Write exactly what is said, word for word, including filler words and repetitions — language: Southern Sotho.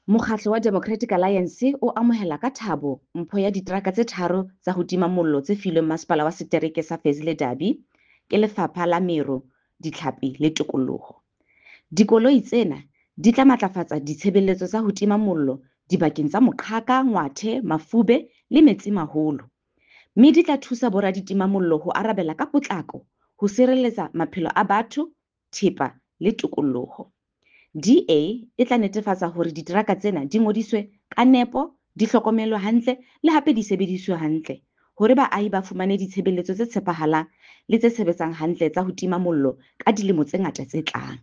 Mokgatlo wa Democratic Alliance o amohela ka thabo mpho ya diteraka tse tharo tsa ho tima mollo tse filweng Masepala wa Setereke sa Fezile Dabi ke Lefapha la Meru, Ditlhapi le Tikoloho. Dikoloi tsena di tla matlafatsa ditshebeletso tsa ho tima mollo dibakeng tsa Moqhaka, Ngwathe, Mafube le Metsimaholo, mme di tla thusa boraditimamollo ho arabela ka potlako ho sireletsa maphelo a batho, thepa le tikoloho. D A e tla netefatsa hore diteraka tsena di ngodiswe ka nepo, di hlokomelwe hantle le hape di sebediswe hantle hore baahi ba fumane ditshebeletso tse tshepahalang le tse sebetsang hantle tsa ho tima mollo ka dilemo tse ngata tse tlang.